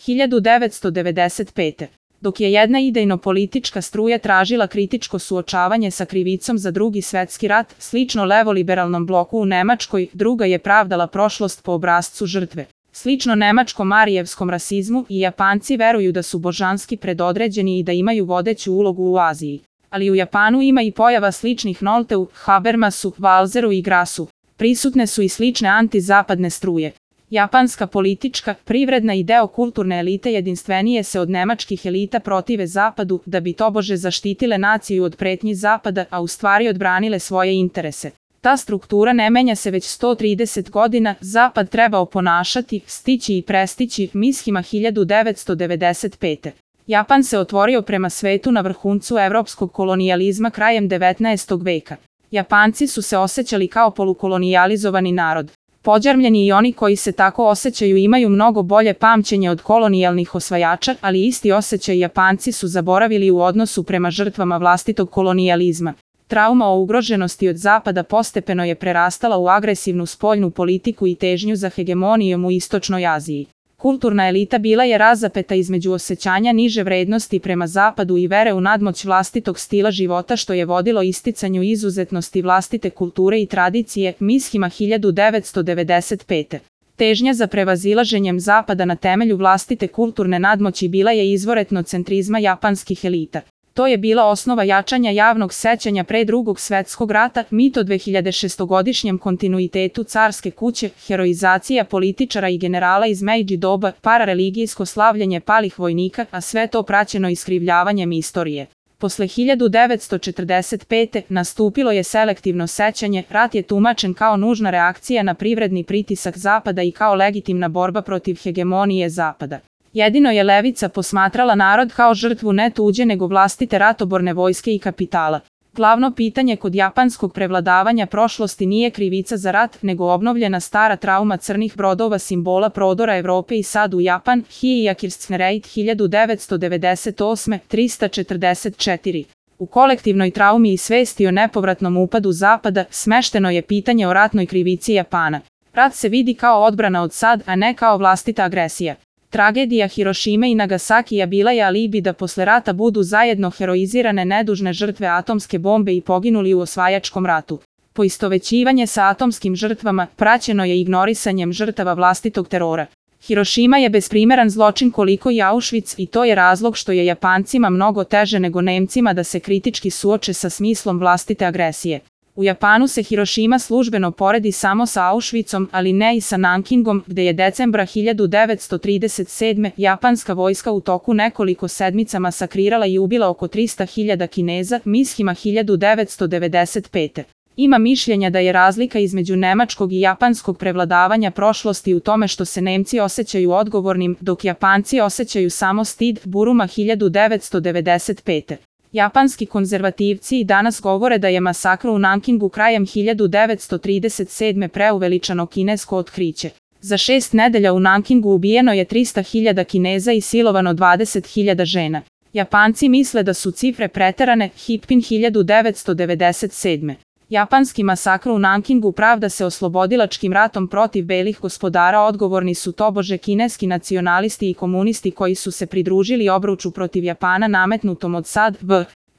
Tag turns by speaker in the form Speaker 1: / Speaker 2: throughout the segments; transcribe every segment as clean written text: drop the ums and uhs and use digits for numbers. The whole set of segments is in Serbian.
Speaker 1: 1995. Dok je jedna idejno-politička struja tražila kritičko suočavanje sa krivicom za Drugi svetski rat, slično levoliberalnom bloku u Nemačkoj, druga je pravdala prošlost po obrascu žrtve. Slično nemačkom arijevskom rasizmu, i Japanci veruju da su božanski predodređeni i da imaju vodeću ulogu u Aziji. Ali u Japanu ima i pojava sličnih Nolteu, Habermasu, Walzeru i Grassu. Prisutne su i slične antizapadne struje. Japanska politička, privredna i deo kulturne elite jedinstvenije se od nemačkih elita protive Zapadu da bi tobože zaštitile naciju od pretnji Zapada, a u stvari odbranile svoje interese. Ta struktura ne menja se već 130 godina, Zapad treba oponašati, stići i prestići, Mishima 1995. Japan se otvorio prema svetu na vrhuncu evropskog kolonijalizma krajem 19. veka. Japanci su se osjećali kao polukolonijalizovani narod. Pođarmljeni i oni koji se tako osjećaju imaju mnogo bolje pamćenje od kolonijalnih osvajača, ali isti osjećaj Japanci su zaboravili u odnosu prema žrtvama vlastitog kolonijalizma. Trauma o ugroženosti od Zapada postepeno je prerastala u agresivnu spoljnu politiku i težnju za hegemonijom u Istočnoj Aziji. Kulturna elita bila je razapeta između osjećanja niže vrednosti prema Zapadu i vere u nadmoć vlastitog stila života što je vodilo isticanju izuzetnosti vlastite kulture i tradicije, Mishima 1995. Težnja za prevazilaženjem Zapada na temelju vlastite kulturne nadmoći bila je izvor etnocentrizma japanskih elita. To je bila osnova jačanja javnog sećanja pre Drugog svetskog rata, mit o 2600-godišnjem kontinuitetu carske kuće, heroizacija političara i generala iz Meidži doba, parareligijsko slavljenje palih vojnika, a sve to praćeno iskrivljavanjem istorije. Posle 1945. nastupilo je selektivno sećanje, rat je tumačen kao nužna reakcija na privredni pritisak Zapada i kao legitimna borba protiv hegemonije Zapada. Jedino je levica posmatrala narod kao žrtvu ne tuđe nego vlastite ratoborne vojske i kapitala. Glavno pitanje kod japanskog prevladavanja prošlosti nije krivica za rat, nego obnovljena stara trauma crnih brodova simbola prodora Evrope i sad u Japan, Hiijakirstnereit 1998. 344. U kolektivnoj traumi i svesti o nepovratnom upadu Zapada, smešteno je pitanje o ratnoj krivici Japana. Rat se vidi kao odbrana od sad, a ne kao vlastita agresija. Tragedija Hirošime i Nagasakija bila je alibi da posle rata budu zajedno heroizirane nedužne žrtve atomske bombe i poginuli u osvajačkom ratu. Poistovećivanje sa atomskim žrtvama praćeno je ignorisanjem žrtava vlastitog terora. Hirošima je besprimeran zločin koliko i Auschwitz i to je razlog što je Japancima mnogo teže nego Nemcima da se kritički suoče sa smislom vlastite agresije. U Japanu se Hirošima službeno poredi samo sa Auschwitzom, ali ne i sa Nankingom, gde je decembra 1937. japanska vojska u toku nekoliko sedmica masakrirala i ubila oko 300.000 Kineza, Mishima 1995. Ima mišljenja da je razlika između nemačkog i japanskog prevladavanja prošlosti u tome što se Nemci osjećaju odgovornim, dok Japanci osjećaju samo stid, Buruma 1995. Japanski konzervativci i danas govore da je masakr u Nankingu krajem 1937. preuveličano kinesko otkriće. Za 6 nedelja u Nankingu ubijeno je 300.000 Kineza i silovano 20.000 žena. Japanci misle da su cifre preterane, Hipkin 1997. Japanski masakr u Nankingu pravda se oslobodilačkim ratom protiv belih gospodara, odgovorni su tobože kineski nacionalisti i komunisti koji su se pridružili obruču protiv Japana nametnutom od SAD,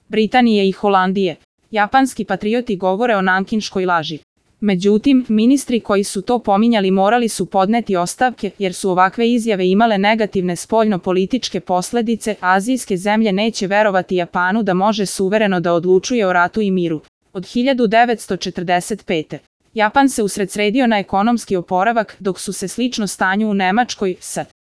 Speaker 1: Britanije i Holandije. Japanski patrioti govore o nankinškoj laži. Međutim, ministri koji su to pominjali morali su podneti ostavke, jer su ovakve izjave imale negativne spoljno-političke posledice, azijske zemlje neće verovati Japanu da može suvereno da odlučuje o ratu i miru. Od 1945. Japan se usredsredio na ekonomski oporavak, dok su se slično stanju u Nemačkoj,